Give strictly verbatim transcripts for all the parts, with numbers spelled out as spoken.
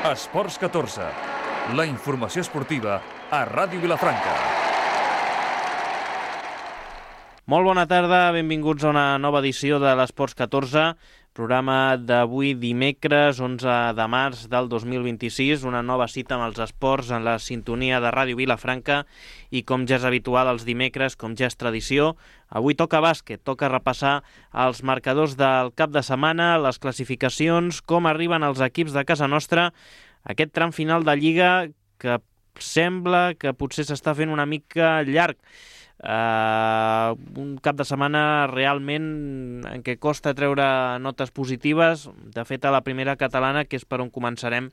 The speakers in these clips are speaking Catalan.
Esports catorze, la informació esportiva a Ràdio Vilafranca. Molt bona tarda, benvinguts a una nova edició de l'Esports catorze, programa d'avui dimecres, onze de març del dos mil vint-i-sis, una nova cita amb els esports en la sintonia de Ràdio Vilafranca i com ja és habitual els dimecres, com ja és tradició, avui toca bàsquet, toca repassar els marcadors del cap de setmana, les classificacions, com arriben els equips de casa nostra, aquest tram final de Lliga que sembla que potser s'està fent una mica llarg. Uh, un cap de setmana realment en què costa treure notes positives. De fet, a la primera catalana, que és per on començarem,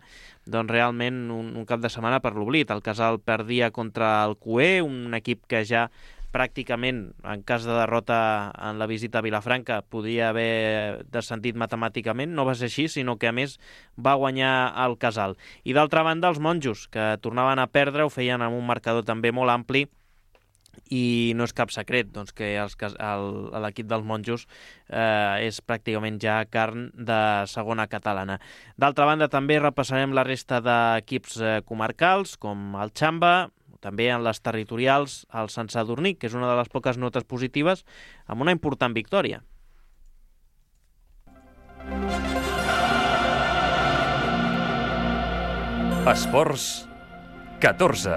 doncs realment un, un cap de setmana per l'oblit. El Casal perdia contra el Q E, un equip que ja pràcticament, en cas de derrota en la visita a Vilafranca, podia haver descendit matemàticament. No va ser així, sinó que a més va guanyar el Casal. I d'altra banda, els monjos, que tornaven a perdre, ho feien amb un marcador també molt ampli, i no és cap secret doncs, que els, el, l'equip dels monjos eh, és pràcticament ja carn de segona catalana. D'altra banda, també repassarem la resta d'equips eh, comarcals, com el Xamba, també en les territorials, el Sant Sadurní, que és una de les poques notes positives, amb una important victòria. Esports catorze.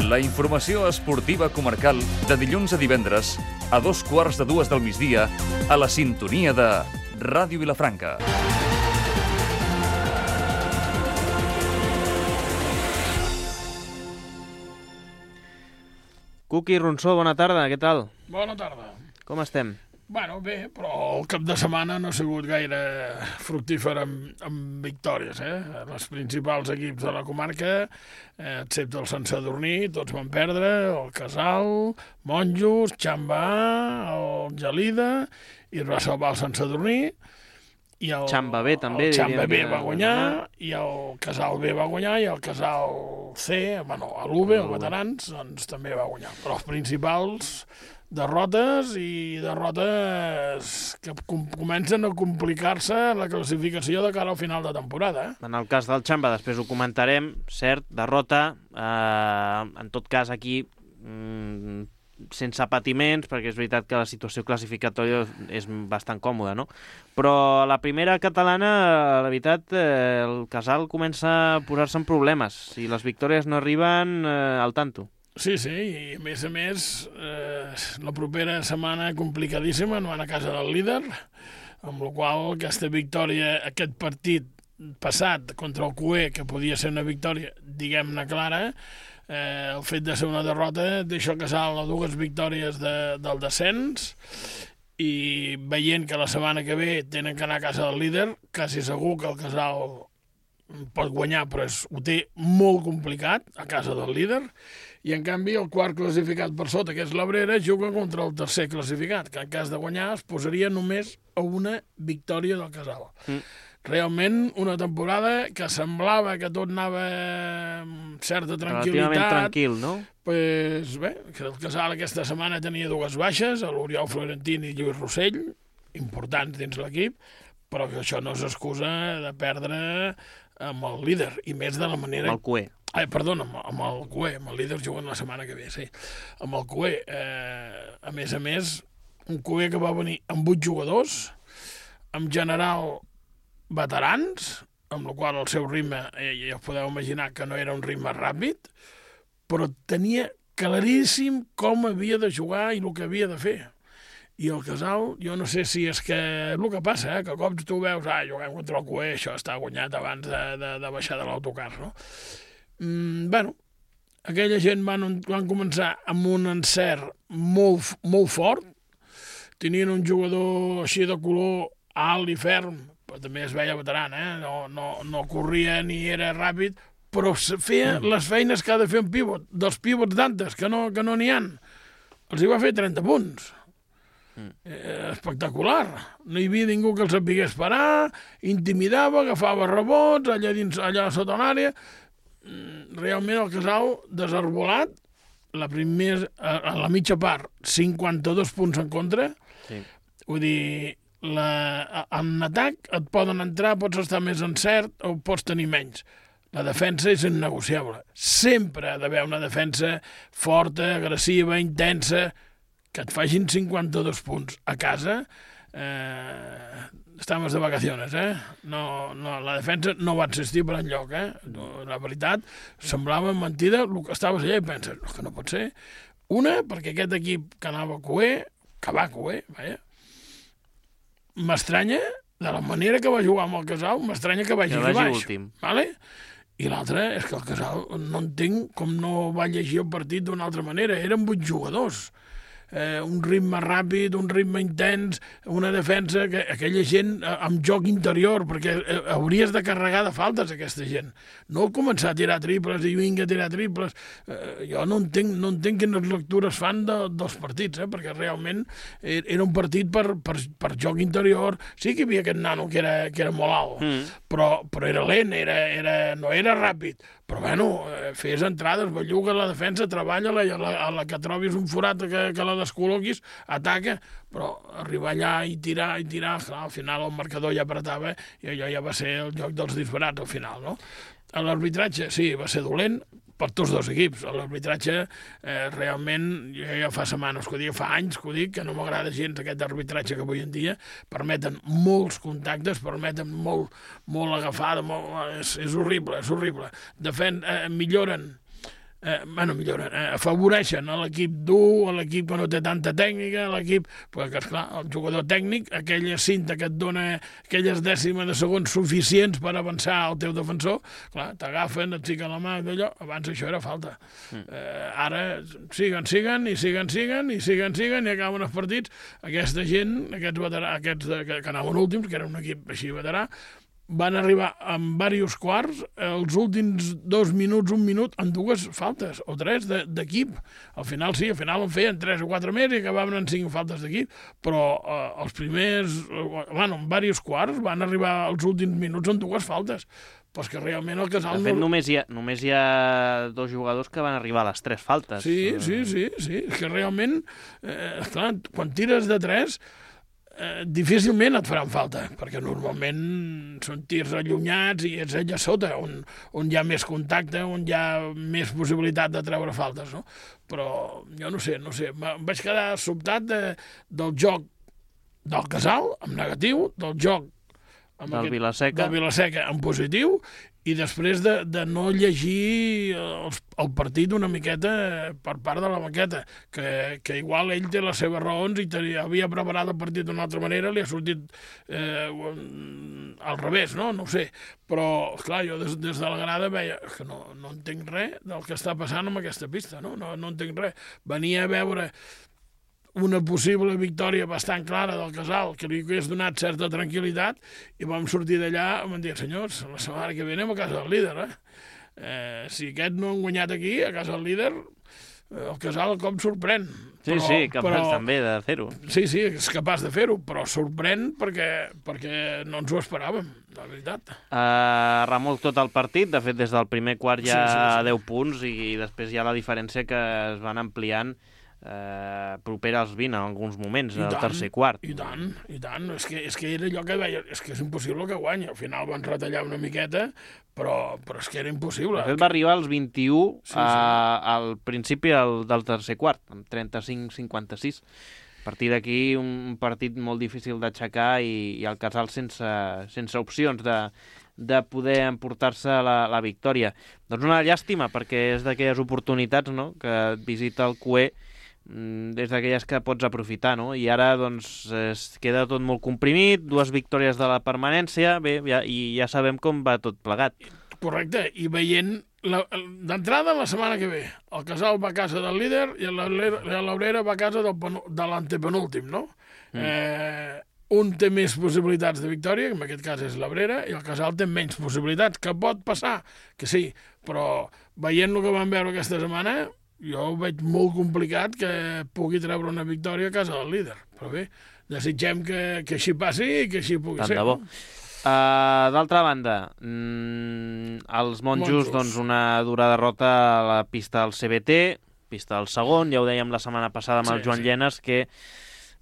La informació esportiva comarcal de dilluns a divendres a dos quarts de dues del migdia a la sintonia de Ràdio Vilafranca. Cuqui Ronsó, bona tarda, què tal? Bona tarda. Com estem? Bueno, bé, però el cap de setmana no ha sigut gaire fructífer amb, amb victòries, eh? Els principals equips de la comarca, eh, excepte el Sant Sadurní, tots van perdre, el Casal, Monjos, Xamba, el Gelida, i es va salvar el Sant Sadurní, i el Xamba B també, el Xamba B que... va guanyar, i el Casal B va guanyar, i el Casal C, bueno, l'U B, el Veterans, doncs també va guanyar. Però els principals... derrotes i derrotes que com comencen a complicar-se la classificació de cara al final de temporada. Eh? En el cas del Xamba, després ho comentarem, cert, derrota, eh, en tot cas aquí mm, sense patiments, perquè és veritat que la situació classificatòria és bastant còmoda, no? Però a la primera catalana, la veritat, eh, el Casal comença a posar-se en problemes. Si les victòries no arriben, eh, al tanto. Sí, sí, i a més a més, eh, la propera setmana complicadíssima, no van a casa del líder, amb la qual aquesta victòria, aquest partit passat contra el Q E, que podia ser una victòria, diguem-ne clara, eh, el fet de ser una derrota deixa el Casal a dues victòries de, del descens, i veient que la setmana que ve tenen que anar a casa del líder, quasi segur que el Casal pot guanyar, però és, ho té molt complicat a casa del líder, i en canvi el quart classificat per sota, que és l'Abrera, juga contra el tercer classificat, que en cas de guanyar es posaria només a una victòria del Casal. Mm. Realment una temporada que semblava que tot anava amb certa tranquil·litat. Relativament tranquil, no? Pues bé, que el Casal aquesta setmana tenia dues baixes, l'Oriol Florentini i Lluís Rossell, importants dins l'equip, però que això no és excusa de perdre amb el líder, i més de la manera... Amb el Q E. Ai, perdona, amb, amb el Q E, amb el líder jugant la setmana que ve, sí. Amb el Q E, eh, a més a més, un Q E que va venir amb vuit jugadors, en general veterans, amb la qual el seu ritme, eh, ja us podeu imaginar que no era un ritme ràpid, però tenia claríssim com havia de jugar i el que havia de fer. I el Casal, jo no sé si és que és el que passa, eh? Que cops tu veus, ah, juguem contra el Q E, això està guanyat abans de, de, de baixar de l'autocar, no? Mm, bueno, aquella gent van, van començar amb un encert molt, molt fort, tenien un jugador així de color alt i ferm, però també es veia veteran, eh? no, no, no corria ni era ràpid, però feia mm. les feines que ha de fer un pivot, dels pivots d'antes, que no que no n'hi ha, els hi va fer trenta punts. Mm. Eh, espectacular. No hi havia ningú que els sapigués parar, intimidava, agafava rebots, allà, dins, allà sota l'àrea. Realment el Casal desarbolat, la primera, a la mitja part, cinquanta-dos punts en contra. Sí. Vull dir, la, en atac et poden entrar, pots estar més encert o pots tenir menys. La defensa és innegociable. Sempre ha d'haver una defensa forta, agressiva, intensa, que et facin cinquanta-dos punts a casa. Eh, estamos de vacaciones, eh? No, no, la defensa no va existir per enlloc, eh? No, la veritat, semblava mentida el que estaves allà i penses, no, que no pot ser. Una, perquè aquest equip que anava a coer, que va coer, vaja, m'estranya, de la manera que va jugar amb el Casal, m'estranya que vagi, que vagi baix. Últim. Vale? I l'altre és que el Casal no entenc com no va llegir el partit d'una altra manera. Eren vuit jugadors. Eh, un ritme ràpid, un ritme intens, una defensa, que aquella gent eh, amb joc interior, perquè eh, hauries de carregar de faltes aquesta gent. No començar a tirar triples i vinga a tirar triples. Eh, jo no entenc, no entenc quines lectures fan de, dels partits, eh, perquè realment era un partit per, per, per joc interior. Sí que hi havia aquest nano que era, que era molt alt, mm. però, però era lent, era, era, no era ràpid. Però, bueno, fes entrades, belluga la defensa, treballa-la, i a la, a la que trobis un forat que, que la descol·loquis, ataca, però arribar allà i tirar, i tirar, clar, al final el marcador ja apretava i allò ja va ser el joc dels disbarats al final, no? L'arbitratge, sí, va ser dolent per tots dos equips. L'arbitratge, eh, realment, jo ja fa setmanes que ho dic, fa anys que ho dic, que no m'agrada gens aquest arbitratge que avui en dia permeten molts contactes, permeten molt, molt agafada, molt, és, és horrible, és horrible. Defen, eh, milloren, eh, bueno, milloren, eh, afavoreixen a l'equip dur, a l'equip que no té tanta tècnica, a l'equip, perquè, esclar, el jugador tècnic, aquella cinta que et dona aquelles dècimes de segons suficients per avançar al teu defensor, clar, t'agafen, et fiquen la mà, d'allò, abans això era falta. Mm. Eh, ara, siguen, siguen, i siguen, siguen, i siguen, siguen, i acaben els partits. Aquesta gent, aquests veterà, aquests de, que, que anaven últims, que era un equip així veterà, van arribar en diversos quarts, els últims dos minuts, un minut, en dues faltes, o tres, d'equip. Al final sí, al final en feien tres o quatre més i acabaven en cinc faltes d'equip, però eh, els primers, eh, bueno, en diversos quarts van arribar als últims minuts en dues faltes. Però és que realment el Casal... De fet, no... només, hi ha, només hi ha dos jugadors que van arribar a les tres faltes. Sí, sí, sí, sí. És que realment, eh, clar, quan tires de tres... Eh, difícilment et faran falta, perquè normalment són tirs allunyats i és allà sota, on, on hi ha més contacte, on hi ha més possibilitat de treure faltes, no? Però jo no sé, no sé, em vaig quedar sobtat de, del joc del Casal, en negatiu, del joc amb del aquest, Vilaseca. del Vilaseca en positiu, i després de, de no llegir el, el partit una miqueta per part de la banqueta, que, que igual ell té les seves raons i tenia, havia preparat el partit d'una altra manera, li ha sortit eh, al revés, no? No ho sé. Però, clar, jo des, des de la grada veia que no, no entenc res del que està passant amb aquesta pista, no? No, no entenc res. Venia a veure una possible victòria bastant clara del Casal, que li hagués donat certa tranquil·litat, i vam sortir d'allà i vam dir, senyors, la setmana que ve anem a casa del líder, eh? eh si aquest no han guanyat aquí, a casa del líder, el Casal com sorprèn. Sí, però, sí, capaç però, també de fer-ho. Sí, sí, és capaç de fer-ho, però sorprèn perquè, perquè no ens ho esperàvem, la veritat. Uh, remolc tot el partit, de fet des del primer quart ja sí, sí, sí. deu punts, i després hi ha la diferència que es van ampliant eh, propera als vint en alguns moments, al tercer quart. I tant, i tant. És que, és que era allò que veia, és que és impossible que guanyi. Al final van retallar una miqueta, però, però és que era impossible. De fet, va arribar als vint-i-u sí, sí. A, al principi del, del tercer quart, amb trenta-cinc cinquanta-sis. A partir d'aquí, un partit molt difícil d'aixecar i, i el Casal sense, sense opcions de, de poder emportar-se la, la victòria. Doncs una llàstima, perquè és d'aquelles oportunitats, no?, que et visita el Cué, des d'aquelles que pots aprofitar, no? I ara, doncs, es queda tot molt comprimit, dues victòries de la permanència, bé, ja, i ja sabem com va tot plegat. Correcte, i veient d'entrada la setmana que ve, el Casal va a casa del líder i l'Obrera va a casa del, de l'antepenúltim, no? Mm. Eh, un té més possibilitats de victòria, que en aquest cas és l'Obrera, i el Casal té menys possibilitats, que pot passar, que sí, però veient el que vam veure aquesta setmana, jo ho veig molt complicat que pugui treure una victòria a casa del líder. Però bé, desitgem que, que així passi i que així pugui Tant ser. de bo. Uh, D'altra banda, mm, els monjos, monjos, doncs una dura derrota a la pista del C B T, pista del segon, ja ho dèiem la setmana passada amb sí, el Joan sí. Llenes, que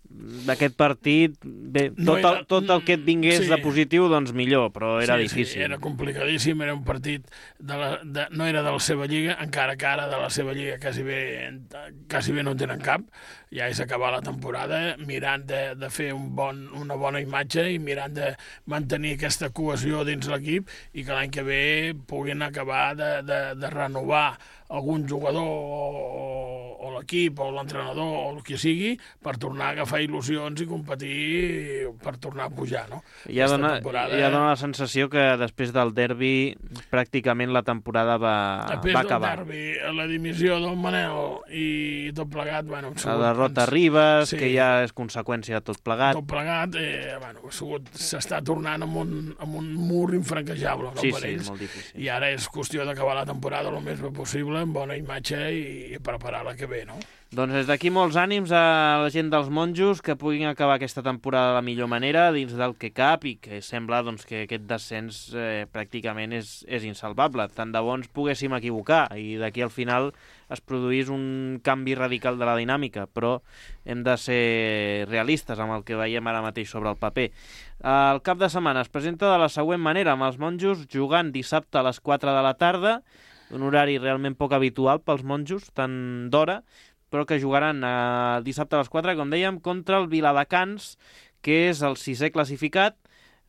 d'aquest partit, bé, tot, No era- el, tot el que et vingués sí. de positiu, doncs millor, però era sí, difícil. Sí, era complicadíssim, era un partit, de la, de, no era de la seva lliga, encara que ara de la seva lliga quasi bé, quasi bé no en tenen cap, ja és acabar la temporada, mirant de, de fer un bon, una bona imatge i mirant de mantenir aquesta cohesió dins l'equip i que l'any que ve puguin acabar de, de, de renovar algun jugador o, o l'equip o l'entrenador o el que sigui per tornar a agafar il·lusions i competir per tornar a pujar, no? Ja Aquesta dona, temporada- ja dona la sensació que després del derbi pràcticament la temporada va, Després va del acabar. derbi, la dimissió del Manel i tot plegat, bueno, han La sigut, derrota a ens- Ribes, sí. que ja és conseqüència de tot plegat. tot plegat, eh, bueno, ha sigut- s'està tornant amb un, amb un mur infranquejable, no, Sí, per sí, ells. molt difícil. I ara és qüestió d'acabar la temporada el més bé possible, amb bona imatge i, i preparar la que ve, no? Doncs des d'aquí molts ànims a la gent dels monjos que puguin acabar aquesta temporada de la millor manera dins del que cap i que sembla doncs, que aquest descens eh, pràcticament és, és insalvable. Tant de bo ens poguéssim equivocar i d'aquí al final es produís un canvi radical de la dinàmica, però hem de ser realistes amb el que veiem ara mateix sobre el paper. El cap de setmana es presenta de la següent manera, amb els monjos jugant dissabte a les quatre de la tarda, un horari realment poc habitual pels monjos, tant d'hora, però que jugaran eh, dissabte a les quatre, com dèiem, contra el Viladecans, que és el sisè classificat,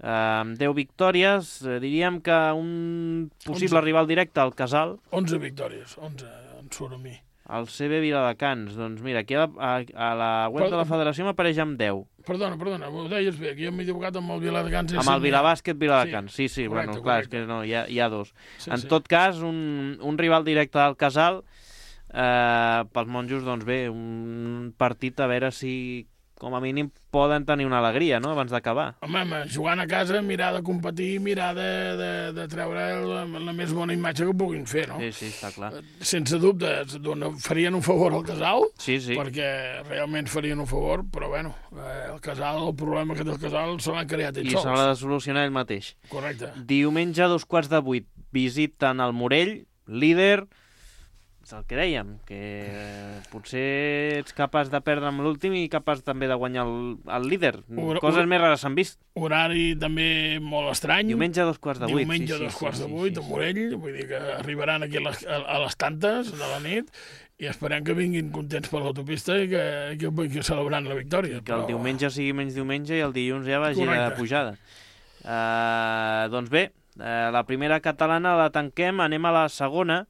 eh, amb deu victòries. Eh, diríem que un possible onze. rival directe, el Casal, onze victòries, onze en surt a mi. el C B Viladecans. Doncs mira, aquí a, a, a la web de la federació m'apareix amb deu. Perdona, perdona, ho deies bé, que jo m'he equivocat amb el Viladecans. Amb el Vilabàsquet Viladecans, sí, sí, correcte, bueno, clar, és correcte. que no, hi ha, hi ha dos. Sí, en sí. tot cas, un, un rival directe del Casal, eh, pels monjos, doncs bé, un partit a veure si com a mínim poden tenir una alegria, no?, abans d'acabar. Home, home, jugant a casa, mirar de competir, mirar de, de, de treure la, la més bona imatge que puguin fer, no? Sí, sí, està clar. Sense dubte, dona, farien un favor al Casal, Sí, sí. perquè realment farien un favor, però bueno, eh, el Casal, el problema que té el Casal se l'han creat ells I se l'ha sols. de solucionar ell mateix. Correcte. Diumenge a dos quarts de vuit visiten el Morell, líder. És el que dèiem, que eh, potser ets capaç de perdre amb l'últim i capaç també de guanyar el, el líder. Ura- Coses ura- més rares s'han vist. Horari també molt estrany. Diumenge a dos quarts de vuit. Diumenge sí, a dos sí, quarts sí, de sí, vuit, sí, a sí. Morell, vull dir que arribaran aquí a les, a, a les tantes de la nit i esperem que vinguin contents per l'autopista i que, que, que celebrant la victòria. Que el diumenge sigui menys diumenge i el dilluns ja vagi Correcte. de pujada. Uh, doncs bé, uh, la primera catalana la tanquem, anem a la segona.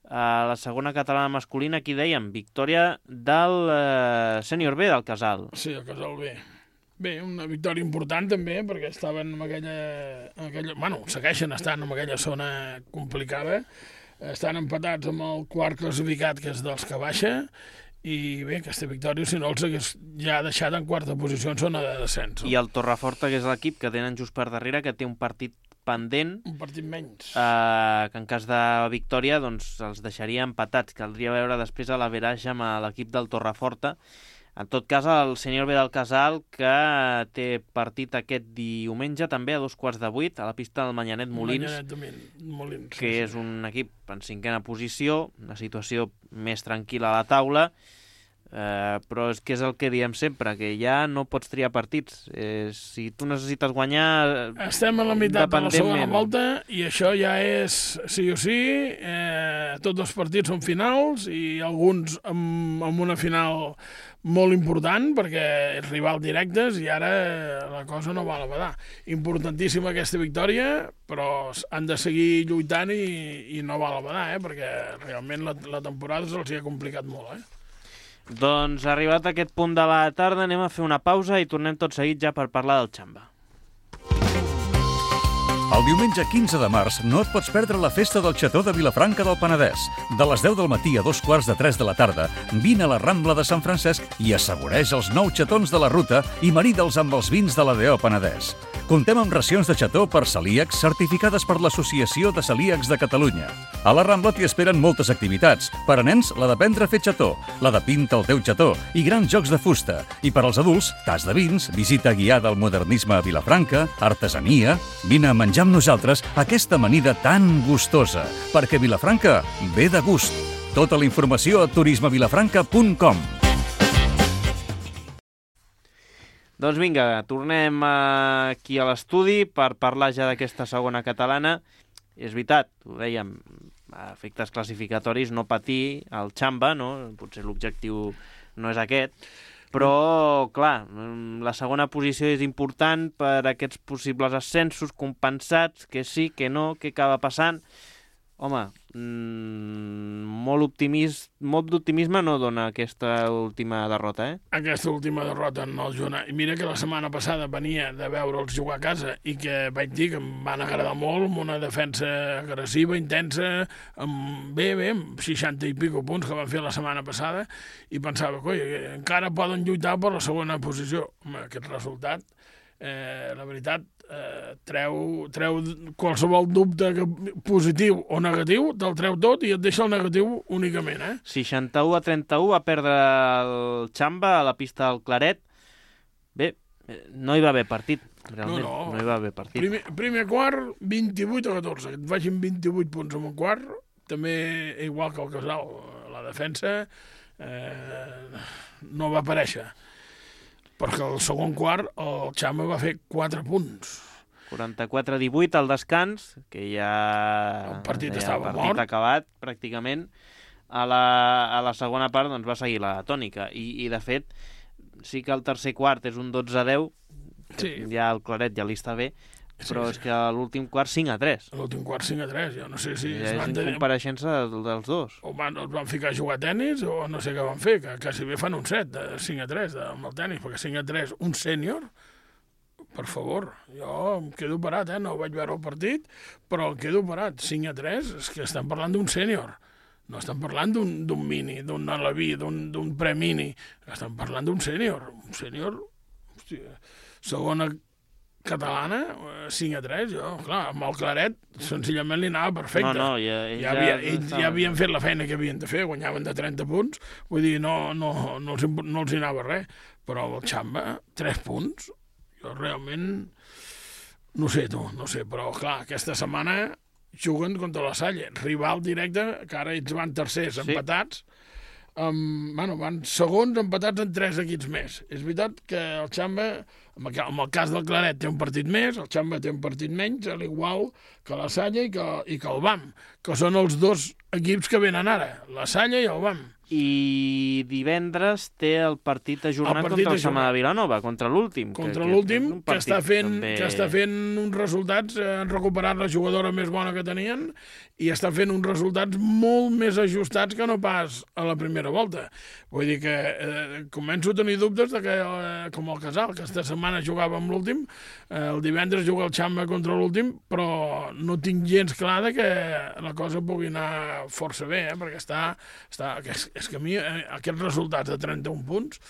Uh, la segona catalana masculina, aquí dèiem, victòria del uh, sènior B del Casal. Sí, el Casal B. Bé, una victòria important també, perquè estaven en aquella... En aquella bueno, segueixen estant en aquella zona complicada. Estan empatats amb el quart classificat, que és dels que baixa, i bé, aquesta victòria, si no els hagués ja deixat en quarta posició en zona de descens. I el Torreforta, que és l'equip que tenen just per darrere, que té un partit pendent, Un partit menys. eh, que en cas de victòria doncs els deixaria empatats. Caldria veure després a l'averaix amb l'equip del Torreforta. En tot cas, el sènior B del Casal, que té partit aquest diumenge, també a dos quarts de vuit, a la pista del Manyanet Molins, Manyanet de Min- Molins. que és un equip en cinquena posició, una situació més tranquil·la a la taula, eh, però és que és el que diem sempre, que ja no pots triar partits. Eh, si tu necessites guanyar... Estem a la meitat de la segona independentment. volta i això ja és sí o sí. Eh, tots els partits són finals i alguns amb, amb una final molt important perquè els rivals directes i ara la cosa no val a badar. Importantíssima aquesta victòria, però han de seguir lluitant i, i no val a badar, eh, perquè realment la, la temporada se'ls hi ha complicat molt. Eh? Doncs arribat a aquest punt de la tarda anem a fer una pausa i tornem tot seguit ja per parlar del Xamba. El diumenge quinze de març no et pots perdre la festa del Xató de Vilafranca del Penedès. De les deu del matí a dos quarts de tres de la tarda, vine a la Rambla de Sant Francesc i assaboreix els nou xatons de la ruta i marida'ls amb els vins de la D O Penedès. Comptem amb racions de xató per celíacs certificades per l'Associació de Celíacs de Catalunya. A la Rambla t'hi esperen moltes activitats. Per a nens, la d'aprendre a fer xató, la de pinta el teu xató i grans jocs de fusta. I per als adults, tas de vins, visita guiada al modernisme a Vilafranca, artesania... Vine a menjar amb nosaltres aquesta amanida tan gustosa, perquè Vilafranca ve de gust. Tota la informació a turisme vilafranca punt com. Doncs vinga, tornem aquí a l'estudi per parlar ja d'aquesta segona catalana. És veritat, ho dèiem, a efectes classificatoris, no patir el Xamba, no? Potser l'objectiu no és aquest, però, clar, la segona posició és important per aquests possibles ascensos compensats, que sí, que no, què acaba passant. Home, mmm, molt optimist, molt d'optimisme no dona aquesta última derrota, eh? Aquesta última derrota no el Girona. I mira que la setmana passada venia de veure'ls jugar a casa i que vaig dir que em van agradar molt, amb una defensa agressiva, intensa, amb bé, bé, amb seixanta i pico punts que van fer la setmana passada, i pensava, coi, encara poden lluitar per la segona posició. Home, aquest resultat, eh, la veritat, Eh, treu, treu qualsevol dubte que, positiu o negatiu, te'l treu tot i et deixa el negatiu únicament, eh? seixanta-u a trenta-u va perdre el Xamba a la pista del Claret. Bé, no hi va haver partit, realment, no, no. no hi va haver partit. Primer, primer quart, vint-i-vuit a catorze, que et vagin vint-i-vuit punts en un quart, també igual que el Casal, la defensa eh, no va aparèixer. Perquè el segon quart el Xamba va fer quatre punts. quaranta-quatre a divuit al descans, que ja... El partit ja, estava el partit mort. acabat, pràcticament. A la, a la segona part doncs, va seguir la tònica. I, I, de fet, sí que el tercer quart és un dotze a deu, que sí. Ja el Claret ja li està bé, però sí, sí. És que a l'últim quart cinc a tres. A l'últim quart cinc a tres, jo no sé si... Ja és incompareixença dels dos. O van, els van ficar a jugar a tenis o no sé què van fer, que quasi bé fan un set de cinc a tres amb el tenis, perquè cinc a tres, un sènior, per favor, jo em quedo parat, eh? No vaig veure el partit, però em quedo parat. cinc a tres, és que estan parlant d'un sènior. No estan parlant d'un mini, d'un aleví, d'un pre-mini. Estan parlant d'un sènior. Un sènior, hòstia, segona catalana, cinc a tres, jo, clar, amb el Claret senzillament li anava perfecte. No, no, ja, ja, havia, ja, ells ja havien fet la feina que havien de fer, guanyaven de trenta punts, vull dir, no, no, no, els, no els hi anava res, però el Xamba, tres punts, jo realment no sé tu, no sé, però clar, aquesta setmana juguen contra la Salle, rival directe, que ara ells van tercers, sí. Empatats, Um, bueno, van segons empatats en tres equips més. És veritat que el Xamba, en el, en el cas del Claret, té un partit més, el Xamba té un partit menys, a l'igual que la Salle i que, i que el B A M, que són els dos equips que venen ara, la Salle i el B A M. I divendres té el partit ajornat el partit contra el Sama de Vilanova, contra l'últim. Contra l'últim, que, que, està fent, també... que està fent uns resultats, eh, han recuperat la jugadora més bona que tenien i està fent uns resultats molt més ajustats que no pas a la primera volta. Vull dir que eh, començo a tenir dubtes de que, eh, com el Casal, que aquesta setmana jugava amb l'últim, eh, el divendres juga el Xamba contra l'últim, però no tinc gens clar de que la cosa pugui anar força bé, eh, perquè està... està que és, és que a mi eh, aquests resultats de trenta-un punts,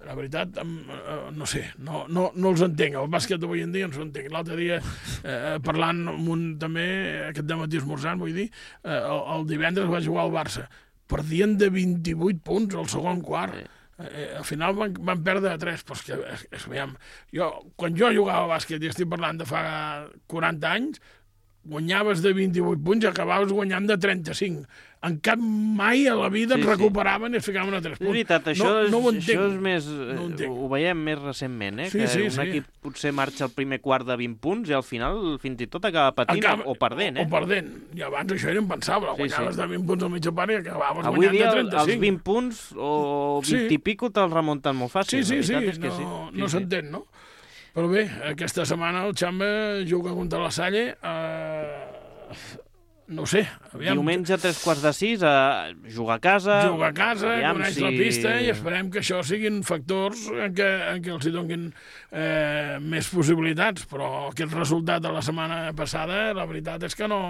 la veritat, eh, no sé, no, no, no els entenc. El bàsquet d'avui en dia no els entenc. L'altre dia, eh, parlant amb un també, aquest dematí esmorzant, vull dir, eh, el, el divendres va jugar al Barça. Perdien de vint-i-vuit punts al segon quart. Sí. Eh, al final van, van perdre de tres, però és que, és, és, veiem, jo, quan jo jugava a bàsquet, i estic parlant de fa quaranta anys, guanyaves de vint-i-vuit punts i acabaves guanyant de trenta-cinc. En cap mai a la vida sí, et recuperaven sí. I es ficaven a tres punts. És veritat, això, no, no ho és, això és més... No ho, ho veiem més recentment, eh? Sí, que sí, un sí. equip potser marxa al primer quart de vint punts i al final fins i tot acaba patint acaba, o perdent, eh? O perdent. I abans això era impensable. Sí, guanyaves sí. de vint punts al mitja part i acabaves avui guanyant dia, de trenta-cinc. Els vint punts o vint sí. I pico te'ls remunten molt fàcil. Sí, sí, sí. És que no, sí. no sí, s'entén, no? Però bé, aquesta setmana el Xamba juga contra la Salle... Eh... No sé, aviam... Diumenge a tres quarts de sis, a jugar a casa... Jugar a casa, coneix si... la pista i esperem que això siguin factors en què, en què els hi donin eh, més possibilitats, però aquest resultat de la setmana passada, la veritat és que no,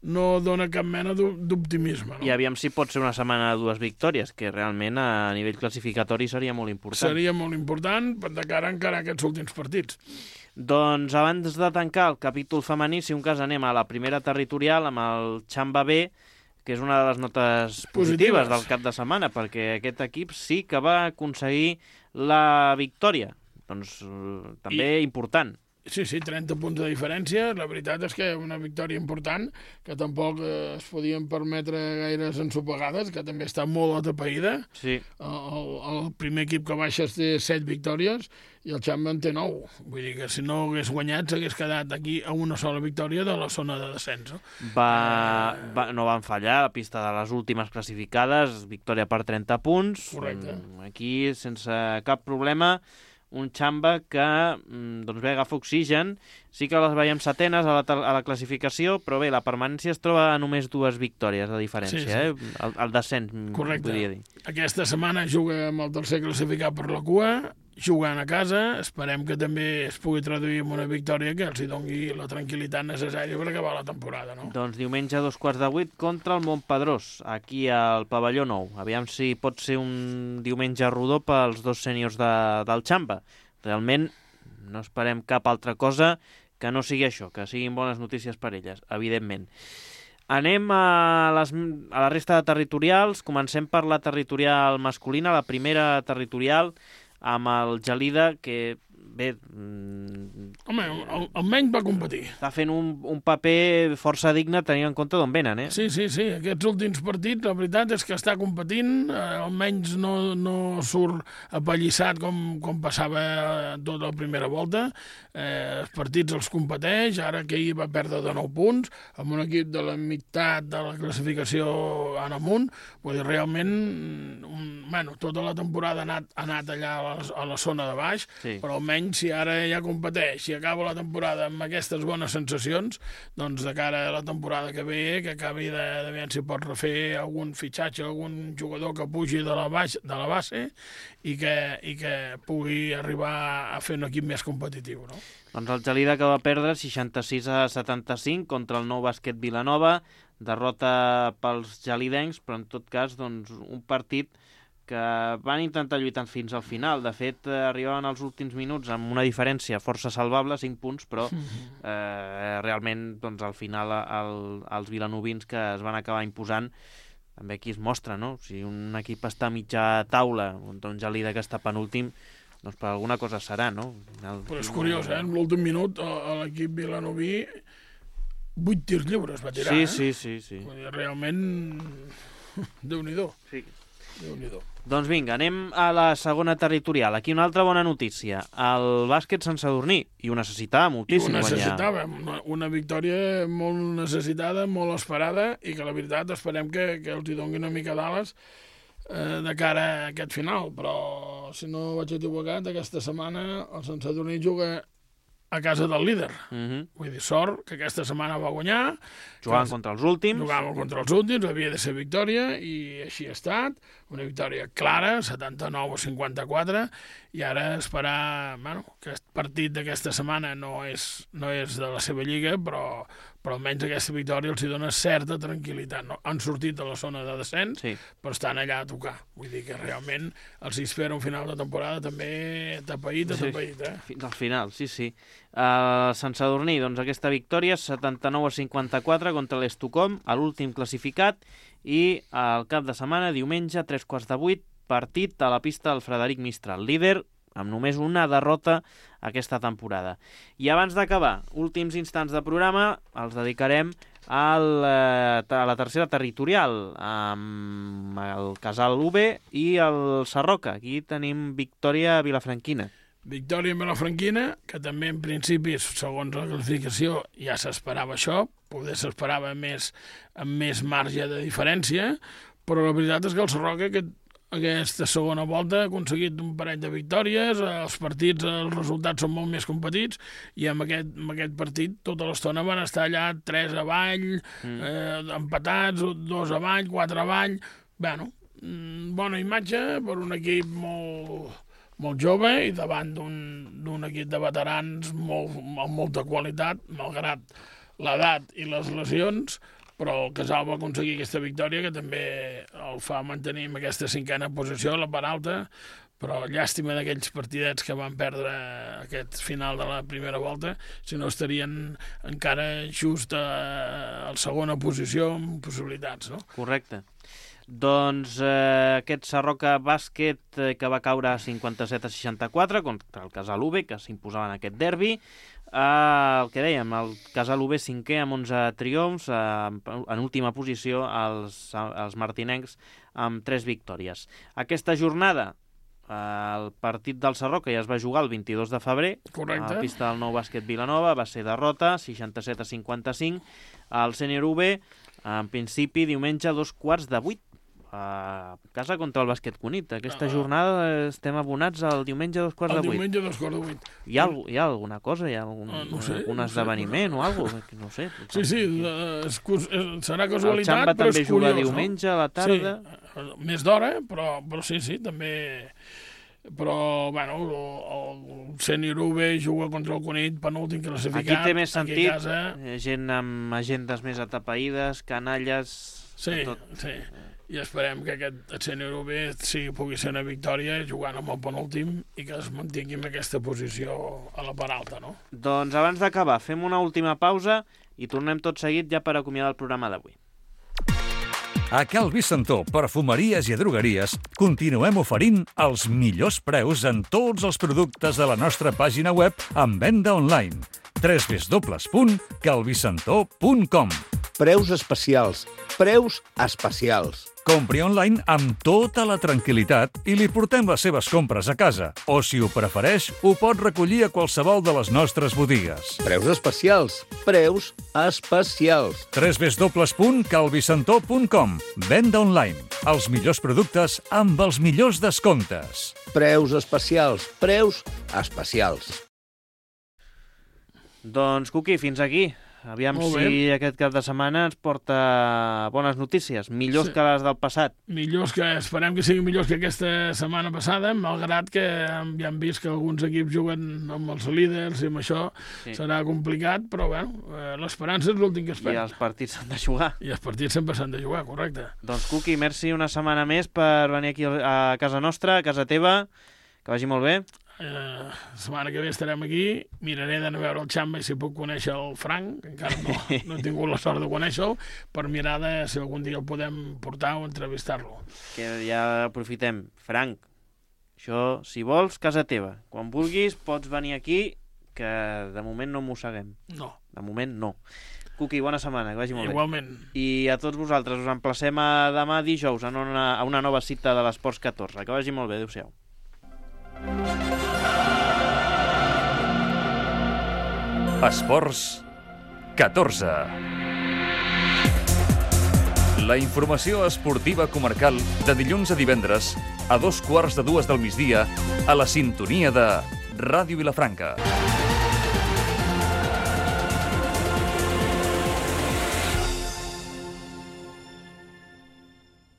no dona cap mena d'optimisme. No? I aviam si pot ser una setmana de dues victòries, que realment a nivell classificatori seria molt important. Seria molt important de cara encara a aquests últims partits. Doncs abans de tancar el capítol femení, si un cas anem a la primera territorial amb el Xamba B, que és una de les notes positives, positives del cap de setmana, perquè aquest equip sí que va aconseguir la victòria. Doncs també I, important. Sí, sí, trenta punts de diferència. La veritat és que una victòria important, que tampoc eh, es podien permetre gaires ensopegades, que també està molt atapeïda. Sí. El, el primer equip que baixa té set victòries i el Xamba en té nou. Vull dir que si no hagués guanyat s'hagués quedat aquí a una sola victòria de la zona de descens. No? Va, va, no van fallar la pista de les últimes classificades, victòria per trenta punts. Correcte. Aquí, sense cap problema, un Xamba que doncs bé, agafa oxigen. Sí que les veiem setenes a la, a la classificació, però bé, la permanència es troba a només dues victòries de diferència, sí, sí. Eh? El, el descens, correcte. Podria dir. Aquesta setmana juga amb el tercer classificat per la cua, jugant a casa. Esperem que també es pugui traduir en una victòria que els hi doni la tranquil·litat necessària per acabar la temporada, no? Doncs diumenge a dos quarts de vuit contra el Montpedrós, aquí al pavelló nou. Aviam si pot ser un diumenge rodó pels dos sèniors de, del Xamba. Realment no esperem cap altra cosa que no sigui això, que siguin bones notícies per elles, evidentment. Anem a, les, a la resta de territorials. Comencem per la territorial masculina, la primera territorial, amb el Gelida, que bé... Mm, home, almenys va competir. Està fent un, un paper força digne tenint en compte d'on venen, eh? Sí, sí, sí. Aquests últims partits, la veritat és que està competint, eh, almenys no, no surt apallissat com, com passava tota la primera volta. Eh, els partits els competeix, ara que ahir va perdre de nou punts, amb un equip de la meitat de la classificació en amunt. Vull dir, realment, un, bueno, tota la temporada ha anat, ha anat allà a la, a la zona de baix, sí. Però almenys si ara ja competeix, si acaba la temporada amb aquestes bones sensacions, doncs de cara a la temporada que ve, que acabi de, de veure si pot refer algun fitxatge, algun jugador que pugi de la, baix, de la base i que, i que pugui arribar a fer un equip més competitiu, no? Doncs el Gelida que va perdre seixanta-sis a setanta-cinc contra el Nou Bàsquet Vilanova, derrota pels gelidencs, però en tot cas doncs, un partit que van intentar lluitar fins al final. De fet, eh, arribaven als últims minuts amb una diferència força salvable, cinc punts, però eh, realment doncs, al final el, els vilanovins que es van acabar imposant, també aquí es mostra, no? Si un equip està a mitja taula, un Gelida que està penúltim, doncs per alguna cosa serà, no? El... Però és curiós, eh? En l'últim minut l'equip vilanoví vuit tirs lliures va tirar, sí, eh? Sí, sí, sí. Realment, Déu-n'hi-do. Sí. Déu-n'hi-do. Doncs vinga, anem a la segona territorial. Aquí una altra bona notícia. El bàsquet Sant Sadurní, i ho necessitava moltíssim guanyar. I ho guanyar. necessitava, una, una victòria molt necessitada, molt esperada, i que la veritat esperem que, que els hi doni una mica d'ales eh, de cara a aquest final. Però, si no vaig equivocat, aquesta setmana el Sant Sadurní juga a casa del líder. Uh-huh. Vull dir, sort que aquesta setmana va guanyar. Jugaven contra els últims. Jugaven contra els últims, havia de ser victòria, i així ha estat. Una victòria clara, setanta-nou a cinquanta-quatre, i ara esperar... Bueno, aquest partit d'aquesta setmana no és, no és de la seva lliga, però, però almenys aquesta victòria els hi dona certa tranquil·litat. No? Han sortit de la zona de descens, sí. Però estan allà a tocar. Vull dir que realment els hi espera un final de temporada també tapaït, tapaït, eh? Fins al final, sí, sí. Uh, Sant Sadurní, doncs aquesta victòria, setanta-nou a cinquanta-quatre contra l'Estucom, a l'últim classificat, i al cap de setmana, diumenge, tres quarts de vuit, partit a la pista del Frederic Mistral, líder amb només una derrota aquesta temporada. I abans d'acabar, últims instants de programa, els dedicarem al, a la tercera territorial, amb el Casal U B i el Sarroca. Aquí tenim victòria vilafranquina. Victòria en Vilafranquina, que també en principi, segons la classificació, ja s'esperava això, poder s'esperava més, amb més marge de diferència, però la veritat és que el Sarroca aquest, aquesta segona volta ha aconseguit un parell de victòries, els partits, els resultats són molt més competits, i amb aquest, amb aquest partit tota l'estona van estar allà tres avall, mm. eh, empatats, dos avall, quatre avall. Bueno, bona imatge per un equip molt... molt jove i davant d'un equip de veterans molt, amb molta qualitat, malgrat l'edat i les lesions, però el Casal va aconseguir aquesta victòria que també el fa mantenir en aquesta cinquena posició, la part alta, però llàstima d'aquells partidets que van perdre aquest final de la primera volta, si no estarien encara just a la segona posició amb possibilitats, no? Correcte. Doncs eh, aquest Sarroca Bàsquet eh, que va caure a cinquanta-set a seixanta-quatre contra el Casal U B, que s'imposava en aquest derbi. Uh, el que dèiem, el Casalú B cinquè amb onze triomfs, uh, en última posició els, els martinencs amb tres victòries. Aquesta jornada, el partit del Sarroca ja es va jugar el vint-i-dos de febrer. Correcte. A la pista del Nou Bàsquet Vilanova, va ser derrota, seixanta-set a cinquanta-cinc. El Sènior U B, en principi, diumenge a dos quarts de vuit, a casa contra el Bàsquet Cunit. Aquesta ah. jornada estem abonats al diumenge a dos quarts el de vuit. El diumenge a dos quarts de vuit. Hi ha, hi ha alguna cosa? Hi ha algun, ah, no sé, algun no esdeveniment sé, o alguna cosa? No sé. Sí, sí, és, és, serà casualitat, el Xamba però també és curiós, juga diumenge no? a la tarda. Sí, més d'hora, però, però sí, sí, també... Però, bueno, el, el Sènior U B juga contra el Cunit, penúltim classificat. Aquí té més sentit, casa... gent amb agendes més atapeïdes, canalles... Sí, tot. sí. I esperem que aquest Sènior U B sí, pugui ser una victòria jugant amb el penúltim i que es mantingui en aquesta posició a la part alta, no? Doncs abans d'acabar, fem una última pausa i tornem tot seguit ja per acomiadar el programa d'avui. A Cal Vicentó, perfumeries i drogueries, continuem oferint els millors preus en tots els productes de la nostra pàgina web en venda online. w w w punt calvicentó punt com. Preus especials. Preus especials. Compri online amb tota la tranquil·litat i li portem les seves compres a casa. O, si ho prefereix, ho pot recollir a qualsevol de les nostres botigues. Preus especials. Preus especials. w w w punt calvicentó punt com. Venda online. Els millors productes amb els millors descomptes. Preus especials. Preus especials. Doncs, Cuqui, fins aquí. Aviam si aquest cap de setmana ens porta bones notícies, millors sí. que les del passat. Millors que, esperem que siguin millors que aquesta setmana passada, malgrat que ja hem vist que alguns equips juguen amb els líders i amb això sí. serà complicat, però bueno, l'esperança és l'últim que es fa. I els partits s'han de jugar. I els partits sempre s'han de jugar, correcte. Doncs, Cuqui, merci una setmana més per venir aquí a casa nostra, a casa teva, que vagi molt bé. Uh, la setmana que ve estarem aquí, miraré d'anar a veure el Xamba i si puc conèixer el Frank, que encara no, no he tingut la sort de conèixer-lo, per mirar de si algun dia el podem portar o entrevistar-lo. Que ja aprofitem. Frank, això, si vols, casa teva. Quan vulguis pots venir aquí, que de moment no mosseguem. No. De moment no. Cuqui, bona setmana, que vagi molt Igualment. bé. I a tots vosaltres us emplacem a demà dijous en una, a una nova cita de l'Esports catorze. Que vagi molt bé, adéu-siau. Esports catorze. La informació esportiva comarcal de dilluns a divendres a dos quarts de dues del migdia a la sintonia de Ràdio Vilafranca.